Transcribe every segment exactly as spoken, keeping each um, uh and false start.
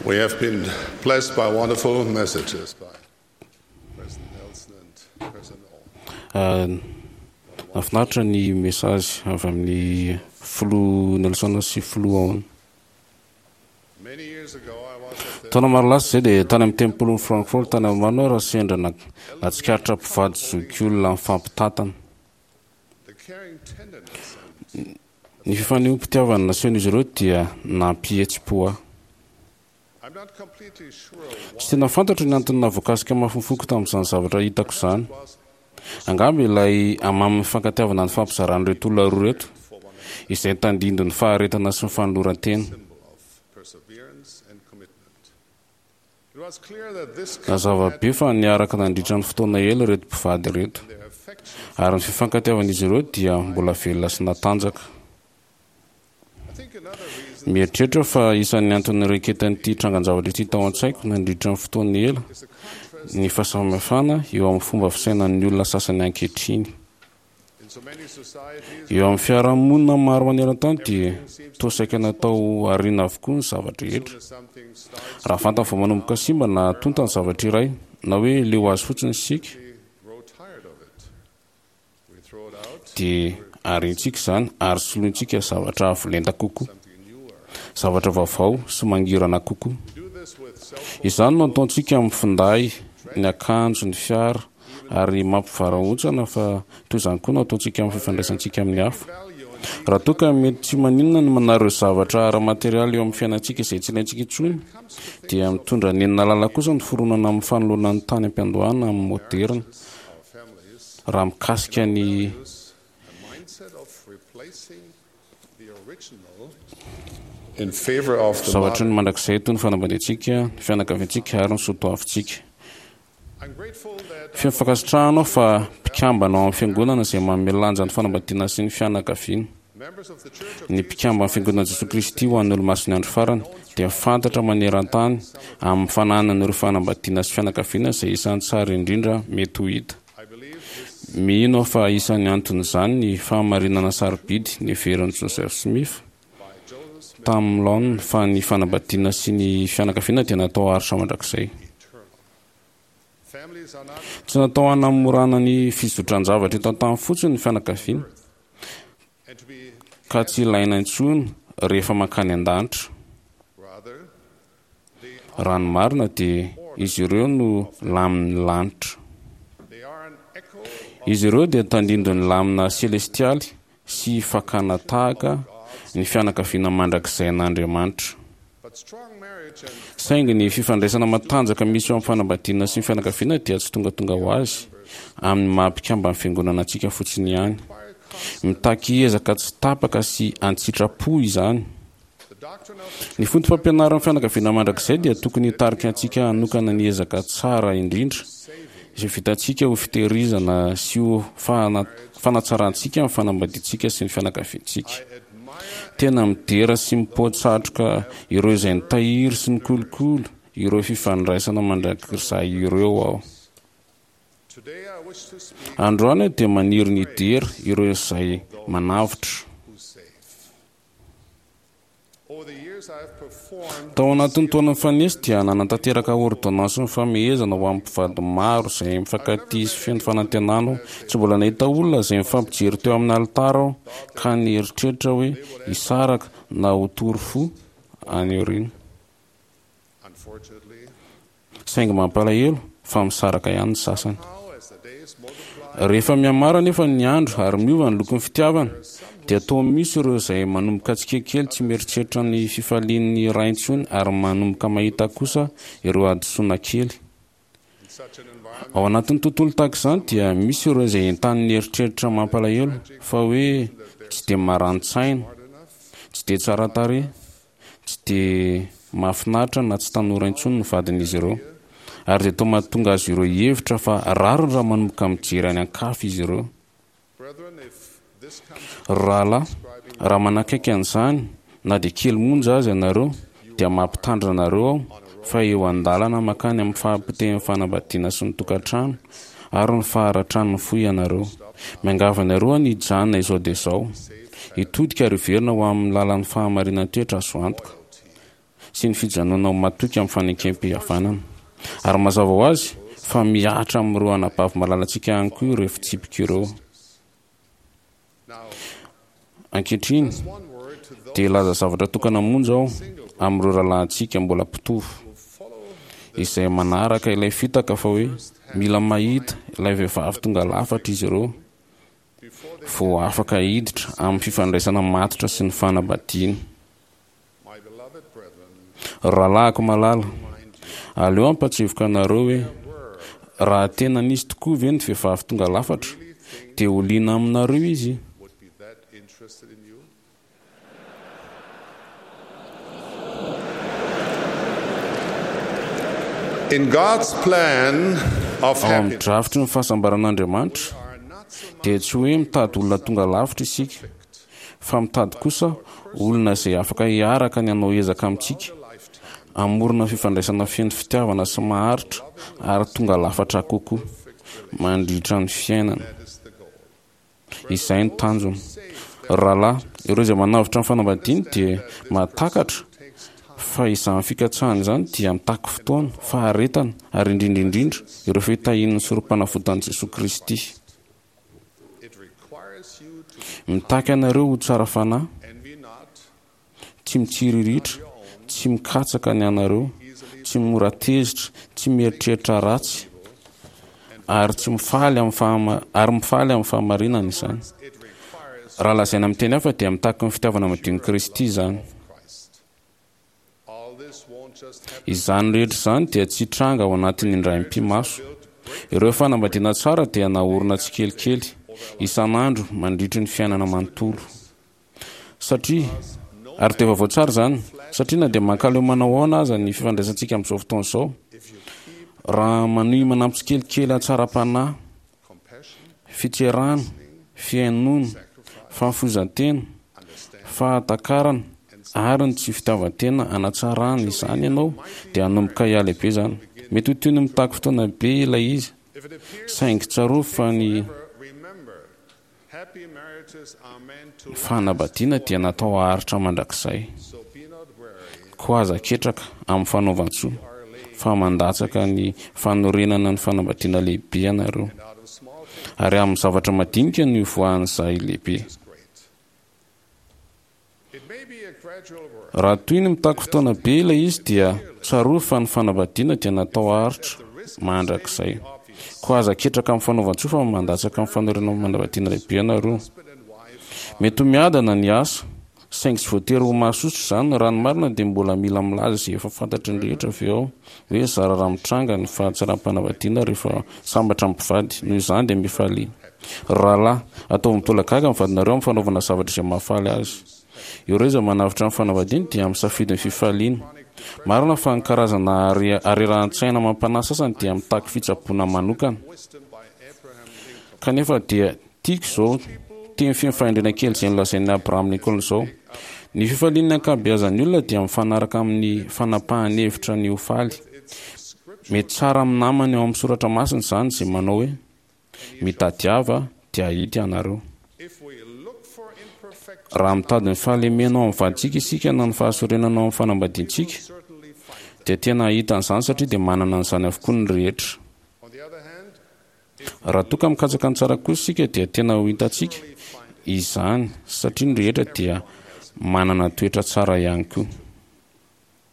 We have been blessed by wonderful messages by President Nelson and President Owen. Nahafinaritra ny message avy amin'ny filoha Nelson sy filoha Owen. Many years ago, I was at the Taona maro lasa izay dia tany amin'ny tempolin'i Frankfurt tany Allemagne aho raha sendra na- nahatsikaritra mpivady zokiolona mifampitantana. the caring tenderness and Ny fifanehoam-pitiavana nasehon'izy ireo dia nampihetsi-po ahy. I'm not completely sure Tsy tena fantatro ny antony nahavoakasika mafy ny foko tamin'izany zavatra hitako izany. was Angamba ilay hamamin'ny fifankatiavana ny fampizaran'ireto olona roa ireto, izay tandindon'ny faharetana sy ny fanoloran-tena. symbol of perseverance and commitment. It was clear that this couple Nazava had be fa niaraka nandritra ny fotoana ela ireto mpivady ireto, their affection. ary ny fifankatiavan'izy ireo dia mbola velona sy natanjaka. I think another reason Mieritreritra aho fa isan'ny antony nireketan'ity trangan-javatra ity tao an-tsaiko nandritra ny fotoana ela is the contrast ny fahasamihafana eo amin'ny fomba fisainan'ny olona sasany ankehitriny. in so many societies. Eo amin'ny fiarahamonina maro maneran-tany dia toa saika natao ariana avokoa ny zavatra rehetra. As soon as something starts Raha vantany vao manomboka simba na tonta ny zavatra iray, na hoe leo azy fotsiny isika, we grow tired of it. We throw it out, dia ariantsika izany ary solointsika zavatra avo lenta kokoa, something newer. zavatra vaovao sy mangirana kokoa. We do this with cell phones, Izany no ataontsika amin'ny finday, ny akanjo, ny fiara, ary mampivarahontsana fa toy izany koa no ataontsika amin'ny fifandraisantsika amin'ny hafa. value and Raha toa ka mety tsy maninona ny manary ireo zavatra ara-materialy eo amin'ny fiainantsika izay tsy ilaintsika intsony, dia mitondra nenina lalina kosa ny fironana amin'ny fanoloana ny tany am-piandohana amin'ny moderina our families raha mikasika ny use a mindset of replacing the original in favor of the zavatry ny modern. mandrakizay toy ny fanambadiantsika, ny fianakaviantsika ary ny soatoavintsika. I'm grateful that Feno fankasitrahana aho fa mpikambana ao amin'ny fiangonana izay manome lanja ny fanambadiana sy ny fianakaviana. members of the Church of Ny mpikamban'ny fiangonana Jesoa Kristy ho an'ny Olomasin'ny andro farany dia fantatra maneran-tany amin'ny fananana ireo fanambadiana sy fianakaviana izay isan'ny tsara indrindra mety ho hita. I believe this Mino aho fa isan'ny anton'izany ny fahamarinana sarobidy neverin'i Joseph Smith by Joseph Smith tamin'ny laoniny fa ny fanambadiana sy ny fianakaviana dia natao haharitra mandrakizay. eternal. Families are not Tsy natao hanamorana ny fizotran-javatra eto an-tany fotsiny ny fianakaviana and to be ka tsy ilaina intsony rehefa mankany an-danitra. rather they are, Raha ny marina dia izy ireo no lamin'ny lanitra. they are an echo Izy ireo dia tandindon'ny lamina selestialy sy fakana tahaka ny fianakaviana mandrakizay an'Andriamanitra. but strong marriage and Saingy ny fifandraisana matanjaka misy eo amin'ny fanambadiana sy ny fianakaviana dia tsy tongatonga ho azy amin'ny maha mpikamban'ny fiangonana antsika fotsiny ihany. require constant Mitaky ezaka tsy tapaka sy an-tsitrapo izany. the doctrine of Ny foto-pampianaran'ny fianakaviana mandrakizay dia tokony hitarika antsika hanokana ny ezaka tsara indrindra izay vitantsika ho fitehirizana sy ho fana- fanatsarantsika ny fanambadiantsika sy ny fianakaviantsika. I admire Tena midera sy mipoa-tsatroka ireo izay nitahiry sy nikolokolo ireo fifandraisana mandrakizay ireo aho. today I wish to speak Androany aho dia maniry ny hidera ireo izay manavotra. who save. Over the years I have performed Tao anatin'ny taona nifanesy dia nanatanteraka ordonnance ny famehezana ho amin'ny mpivady maro izay mifankatia sy feno fanantenana aho. Tsy mbola nahita olona izay mifampijery teo amin'ny alitara aho ka nieritreritra hoe hisaraka na ho tory fo any aoriana. unfortunately Saingy mampalahelo fa misaraka ihany ny sasany. how as the days multiply Rehefa mihamaro anefa ny andro ary miova ny lokon'ny fitiavana dia toa misy ireo izay manomboka tsikelikely tsy mieritreritra ny fifalian'ny ray intsony ary manomboka mahita kosa ireo hadisoana kely. in such an environment Ao anatin'ny tontolo tahaka izany dia misy ireo izay entanin'ny eritreritra mampalahelo fa hoe tsy dia marani-tsaina, smart enough tsy dia tsara tarehy, tsy dia mahafinaritra na tsy tanora intsony ny vadin'izy ireo. Ary dia toa mahatonga azy ireo hihevitra fa rariny raha manomboka mijery any an-kafa izy ireo. brethren if this comes Rahalahy, raha manakaiky an'izany na dia kely monja aza ianareo dia mampitandrina anareo aho fa eo an-dalana mankany amin'ny fahapotehan'ny fanambadiana sy ny tokantrano ary ny faharatran'ny fo ianareo. Miangavy anareo aho ny hijanona izao dia izao. Hitodika ary hiverina ho amin'ny lalan'ny fahamarinan-toetra azo antoka. sy ny fijanonana ho matoky amin'ny fanekem-pihavanana. Ary mazava ho azy fa mihatra amin'ireo anabavy malalantsika ihany koa ireo fitsipika ireo. Ankehitriny dia hilaza zavatra tokana monja aho amin'ireo rahalahintsika mbola mpitovo izay manaraka ilay fitaka fa hoe mila mahita ilay vehivavy tonga lafatra izy ireo vao afaka hiditra amin'ny fifandraisana matotra sy ny fanambadiana. Rahalahiko malala, aleo hampatsiahivoka anareo hoe raha tena nisy tokoa ve ny vehivavy tonga lafatra dia ho liana aminareo izy. In God's plan of Ao amin'ny happiness, drafitry ny fahasambaran'Andriamanitra dia tsy hoe mitady olona tonga lavitra isika, fa mitady kosa olona izay afaka hiaraka ny hanao ezaka amintsika, hamorona fifandraisana feno fitiavana sy maharitra ary tonga lafatra kokoa mandritra ny fiainana. Izay ny tanjona. Rahalahy, ireo izay manavotra ny fanambadiany dia mahatakatra fa izany fikatsahana izany dia mitaky fotoana, faharetana ary indrindra indrindra ireo fitahian'ny sorom-panavotan'i Jesoa Kristy. it requires you to Mitaky anareo ho tsara fanahy, envy not, tsy mitsiriritra, tsy mikatsaka ny anareo, tsy mora tezitra, tsy mieritreritra ratsy, ary tsy mifaly amin'ny fahama-, ary mifaly amin'ny fahamarinana izany. it requires Raha lazaina amin'ny teny hafa dia mitaky ny fitiavana madion'i Kristy izany. Christ. All this won't just happen. Izany rehetra izany dia tsy hitranga ao anatin'ny indray mipi-maso. Ireo fanambadiana tsara dia naorina tsikelikely isan'andro mandritry ny fiainana manontolo. Satria ary dia vaovao tsara izany, satria na dia mankaleo manao ahoana aza ny fifandraisantsika amin'izao fotoana izao, raha manohy manampy tsikelikely hatsaram-panahy, fitserana, fihainoana, fahafoizan-tena, fahatakarana ary ny tsy fitiavan-tena hanatsarana izany ianao, dia hanomboka hialehibe izany. Mety ho toy ny mitaky fotoana be ilay izy, If it appears saingy tsarovy fa ny remember, happy marriages are meant to fanambadiana dia natao haharitra mandrakizay. so be not weary. Koa aza ketraka amin'ny fanaovan-tsoa, fa mandatsaka ny fanorenana ny fanambadiana lehibe ianareo. Out of small things Ary amin'ny zavatra madinika no ivoahan'izay lehibe. is great. It may be a gradual work. Raha toy ny mitaky fotoana be ilay izy dia tsarovy fa ny fanambadiana dia natao haharitra mandrakizay. Koa aza ketraka amin'ny fanaovan-tsoa fa mandatsaka amin'ny fanorenana ny fanambadiana lehibe ianareo. Husband and wife Mety ho miadana ny asa, saingy tsy voatery ho mahasosotra izany. Raha ny marina dia mbola mila milaza izay efa fantatry ny rehetra avy eo hoe zara raha mitranga ny fahatsaram-panambadiana rehefa sambatra amin'ny mpivady. Noho izany dia mifalia. Rahalahy, ataovy mitolagaga ny vadinareo amin'ny fanaovana zavatra izay mahafaly azy. Ireo izay manavotra ny fanambadiana dia misafidy ny fifaliana. Marina fa ny karazana are- arerahan-tsaina mampanahy sasany dia mitaky fitsaboana manokana. wisdom by Abraham Lincoln. Kanefa dia tiako izao teny feno fahendrena kely izay nolazain'i Abraham Lincoln izao. Ny fifalian'ny ankabeazan'ny olona dia mifanaraka amin'ny fanapahan'ny hevitra ny ho faly. Mety tsara amin'ny namany ao amin'ny soratra masina izany izay manao hoe mitadiava dia hahita ianareo. If we look for imperfection, Raha mitady ny fahalemena ao amin'ny vadintsika isika na ny fahasorenana ao amin'ny fanambadiantsika, certainly find. dia tena hahita an'izany satria dia manana an'izany avokoa ny rehetra. On the other hand, Raha toa ka mikatsaka ny tsara kosa isika dia tena ho hitantsika izany satria ny rehetra dia manana toetra tsara ihany koa.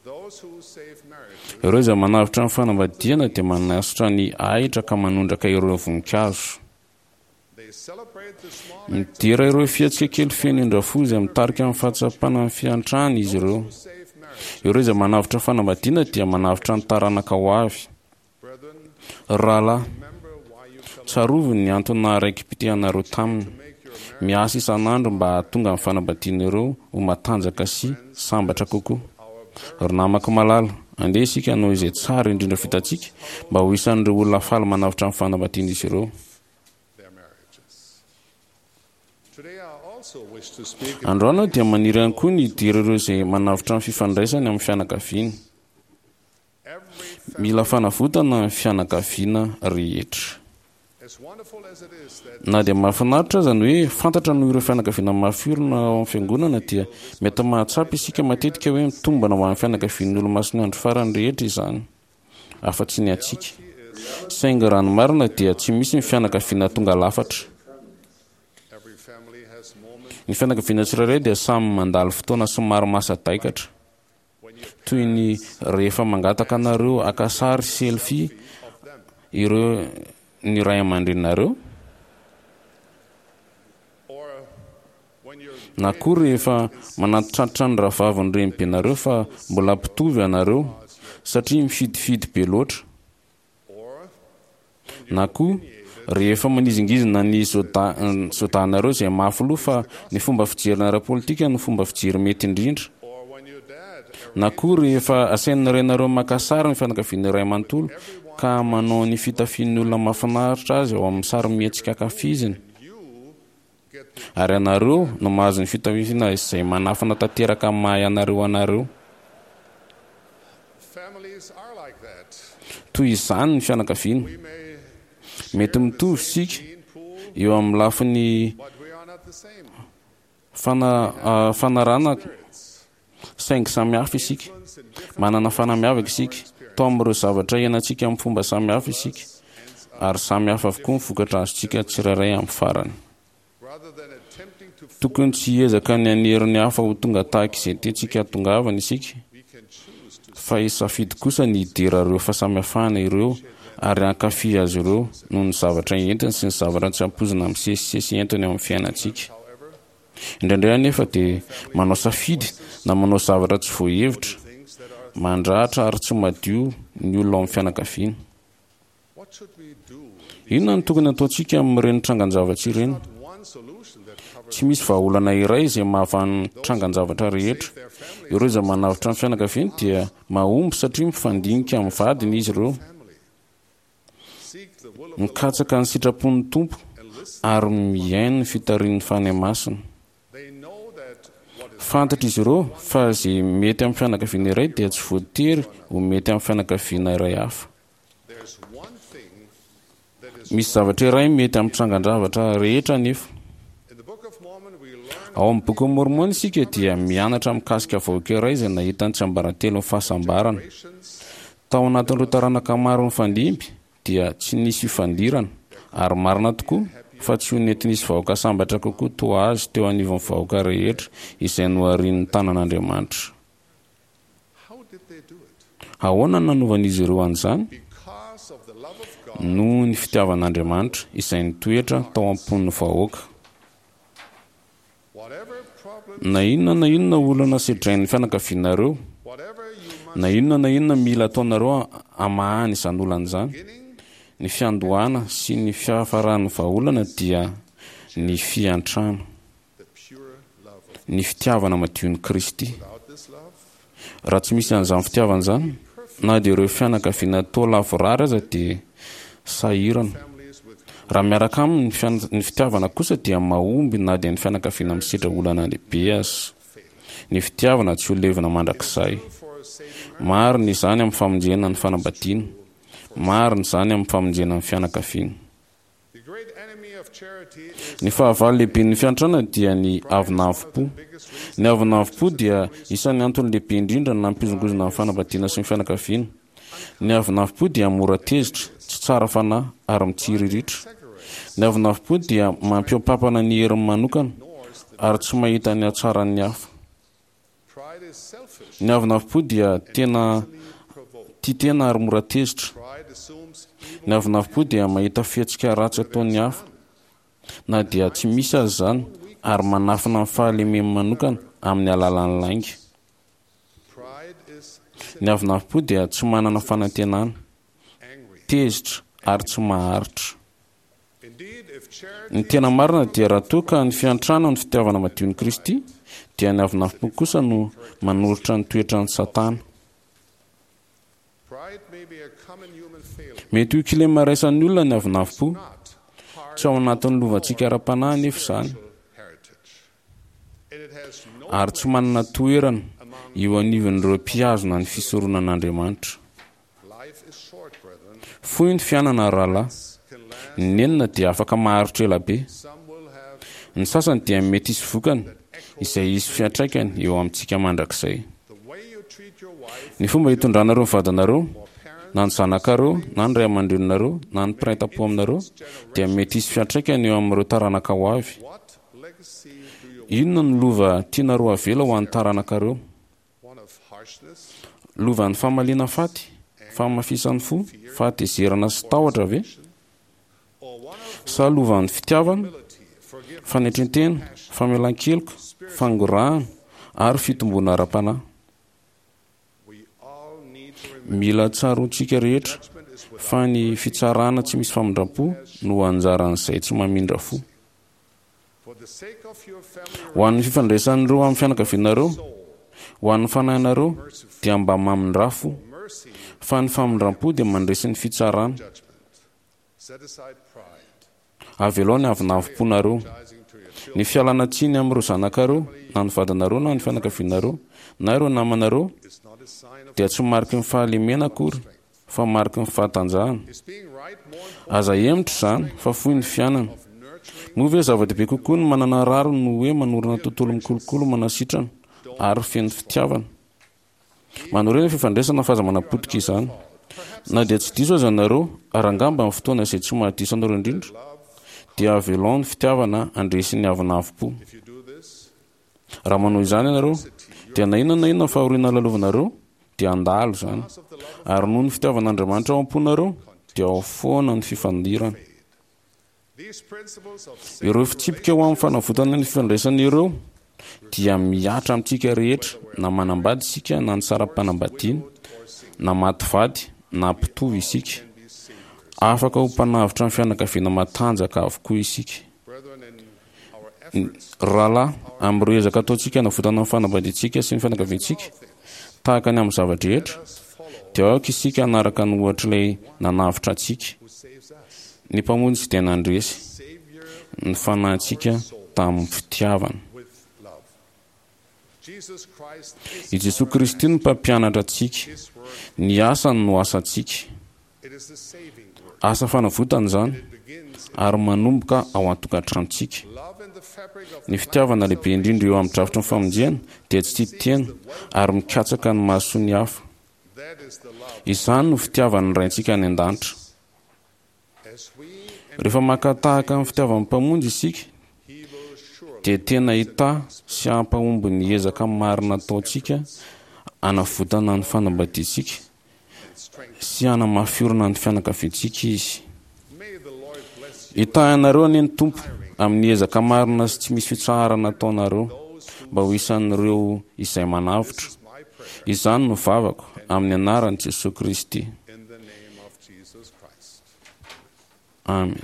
those who save marriages Ireo izay manavotra ny fanambadiana dia manasotra ny ahitra ka manondraka ireo voninkazo. They celebrate the small Midera ireo fihetsika kely feno indra-fo izay mitarika amin'ny fahatsapana ny fiantrana izy ireo. save marriage. Ireo izay manavotra fanambadiana dia manavotra ny taranaka ho avy. Brethren, Rahalahy, remember why you fell tsarovy ny antony naharaiki-pitianareo taminy. make your marriage Miasa isan'andro mba hahatonga ny fanambadiana ireo ho matanjaka sy sambatra kokoa. our Ry namako malala, andeha isika hanao izay tsara indrindra vitantsika mba ho isan'ireo olona faly manavotra ny fanambadiana izy ireo. their marriages. Today I also wish to speak Androany aho dia maniry ihany koa ny hidira ireo izay manavotra ny fifandraisany amin'ny fianakaviana. every Mila fanavotana ny fianakaviana rehetra. Na dia mahafinaritra aza ny hoe fantatra noho ireo fianakaviana mafy orina ao amin'ny fiangonana, dia mety mahatsapa isika matetika hoe mitombina ho an'ny fianakavian'ny Olomasin'ny Andro Farany rehetra izany, afa-tsy ny antsika. Saingy raha ny marina dia tsy misy ny fianakaviana tonga lafatra. Ny fianakaviana tsirairay dia samy mandalo fotoana somary mahasadaikatra, toy ny rehefa mangataka anareo haka sary selfie ireo ny ray aman-dreninareo, na koa rehefa manantitrantitra ny rahavavin'ny renibenareo fa mbola mpitovy ianareo satria mifidifidy be loatra, na koa rehefa manizingizina ny zodanareo izay mafy loha fa ny fomba fijerina ara-politika no fomba fijery mety indrindra, na koa rehefa asain'ny rainareo maka sary ny fianakaviana iray manontolo ka manao ny fitafian'ny olona mahafinaritra azy ao amin'ny sary mihetsika ankafiziny, ary ianareo no mahazo ny fitafiana izay manafina tanteraka amin'ny maha ianareo anareo. Toy izany ny fianakaviana. Mety mitovy isika eo amin'ny lafiny fanarana, saingy samy hafa isika. Manana fanahy miavaka isika. Tao amin'ireo zavatra iainantsika amin'ny fomba samy hafa isika, ary samy hafa avokoa ny vokatra azontsika tsirairay amin'ny farany. Tokony tsy hiezaka ny hanery ny hafa ho tonga tahaka izay tiantsika hahatongavana isika, fa hisafidy kosa ny hidera ireo fahasamihafana ireo ary hankafy azy ireo noho ny zavatra entiny sy ny zavatra tsy ampoizina misesisesy entiny eo amin'ny fiainantsika. Indraindray anefa dia manao safidy na manao zavatra tsy voahevitra, mandratra ary tsy madio ny olona ao amin'ny fianakaviana. Inona no tokony hataontsika amin'ireny trangan-javatra ireny? Tsy misy vahaolana iray izay mahavaha ny trangan-javatra rehetra. Ireo izay manavotra ny fianakaviany dia mahomby satria mifandinika amin'ny vadiny izy ireo, mikatsaka ny sitrapon'ny Tompo ary mihaino ny fitarihin'ny Fanahy Masina. Fantatra izy ireo fa izay mety amin'ny fianakaviana iray dia tsy voatery ho mety amin'ny fianakaviana iray hafa. Misy zavatra iray mety amin'ny trangan-javatra rehetra anefa. Ao amin'ny Bokin'i Môrmôna isika dia mianatra mikasika vahoaka iray izay nahita ny tsiambaratelon'ny fahasambarana. Tao anatin'ireo taranaka maro nifandimby dia tsy nisy fifandirana, ary marina tokoa fa tsy ho nety nisy vahoaka sambatra kokoa toa azy teo anivon'ny vahoaka rehetra izay noharian'ny tanan'Andriamanitra. Ahoana no nanovan'izy ireo an'izany? Noho ny fitiavan'Andriamanitra izay nitoetra tao am-pon'ny vahoaka. Na inona na inona olana sedrain'ny fianakavianareo, na inona na inona mila ataonareo hamahana izany olana izany, ny fiandohana sy ny fiafaran'ny vahaolana dia ny fiantrana, ny fitiavana madion'i Kristy. Raha tsy misy an'izany fitiavana izany, na dia ireo fianakaviana toa lavorary aza dia sahirana. Raha miaraka aminy ny fitiavana kosa dia mahomby na dia ny fianakaviana misedra olana lehibe aza. Ny fitiavana tsy ho levona mandrakizay. Marina izany amin'ny famonjena ny fanambadiana. Marina izany amin'ny famonjena ny fianakaviana. Ny fahavalo lehiben'ny fiantrana dia ny avonavom-po. Ny avonavom-po dia isan'ny antony lehibe indrindra nampihozongozona ny fanambadiana sy ny fianakaviana. Ny avonavom-po dia mora tezitra, tsy tsara fanahy ary mitsiriritra. Ny avonavom-po dia mampihoa-pampana ny heriny manokana ary tsy mahita ny hatsaran'ny hafa. Ny avonavom-po dia tena tia tena ary mora tezitra. Ny avonavom-po dia mahita fihetsika ratsy ataon'ny hafa, na dia tsy misy aza izany, ary manafina ny fahalemeny manokana amin'ny alalan'ny lainga. Ny avonavom-po dia tsy manana fanantenana, tezitra ary tsy maharitra. Ny tena marina dia raha toa ka ny fiantrana ny fitiavana madion'i Kristy, dia ny avonavom-po kosa no manoritra ny toetran'i Satana. Mety ho kilema iraisan'ny olona ny avonavom-po. Tsy ao anatin'ny lovantsika ara-panahy anefa izany, ary tsy manana toerana eo anivon'ireo mpihazona ny fisoronan'Andriamanitra. Fohy ny fiainana, rahalahy. Ny nenina dia afaka maharitra ela be. Ny sasany dia mety hisy vokany izay hisy fiantraikany eo amintsika mandrakizay. Ny fomba hitondranareo ny vadinareo, na ny zanakareo, na ny ray aman-dreninareo, na ny mpiray tampo aminareo, dia mety hisy fiantraikany eo amin'ireo taranaka ho avy. Inona no lova tianareo avela ho an'ny taranakareo? Lovan'ny famaliana faty, fahamafisan'ny fo, fahatezerana sy tahotra ve? Sa lovan'ny fitiavana, fanetren-tena, famelan-keloka, fangorahana ary fitomboana ara-panahy? Mila tsaroantsika rehetra fa ny fitsarana tsy misy famindram-po no anjaran'izay tsy mamindra fo. Ho an'ny fifandraisan'ireo amin'ny fianakavianareo, ho an'ny fanahinareo, dia mba mamindra fo, fa ny famindram-po dia mandresy ny fitsarana. Avelao ny avonavom-ponareo. Ny fialana tsiny amin'ireo zanakareo, na ny vadinareo, na ny fianakavianareo, na ireo namanareo, dia tsy mariky ny fahalemena akory, fa mariky ny fahatanjahana. Aza hemotra izany, fa fohy ny fiainana. Moa ve zava-dehibe kokoa ny manana rariny no hoe manorina tontolo mikolokolo manasitrana ary feno fitiavana? Manorina fifandraisana fa aza manapotika izany. Na dia tsy diso aza ianareo, ary angamba amin'ny fotoana izay tsy mahadiso anareo indrindra, dia avelao ny fitiavana handresy ny avonavom-po. Raha manao izany ianareo, dia na inona na inona fahoriana lalovanareo, dia handalo izany. Ary noho ny fitiavan'Andriamanitra ao am-ponareo, dia ao foana ny fifandirana. Ireo fitsipika ho amin'ny fanavotana ny fifandraisana ireo dia mihatra amintsika rehetra, na manambady isika na nisara-panambadiana, na maty vady na mpitovo isika. Afaka ho mpanavotra ny fianakaviana matanjaka avokoa isika. Rahalahy, amin'ireo ezaka ataontsika hanavotana ny fanambadiantsika sy ny fianakaviantsika, tahaka ny amin'ny zava-drehetra, dia aoka isika hanaraka ny ohatr'ilay nanavotra antsika. Ny Mpamonjy dia nandresy ny fanahintsika tamin'ny fitiavana. I Jesoa Kristy no mpampianatra antsika. Ny asany no asantsika. Asa fanavotana izany ary manomboka ao an-tokantranontsika. Ny fitiavana lehibe indrindra eo amin'ny drafitry ny famonjena dia tsy tia tena ary mikatsaka ny mahasoa ny hafa. Izany no fitiavan'ny Raintsika any an-danitra. Rehefa maka tahaka ny fitiavan'ny Mpamonjy isika, dia tena hitahy sy hampahomby ny ezaka marina ataontsika hanavotana ny fanambadiantsika sy hanamafy orina ny fianakaviantsika Izy. Hitahy anareo anie ny Tompo amin'ny ezaka marina sy tsy misy fitsaharana ataonareo mba ho isan'ireo izay manavotra. Izany no vavako amin'ny anaran'i Jesoa Kristy. Amen.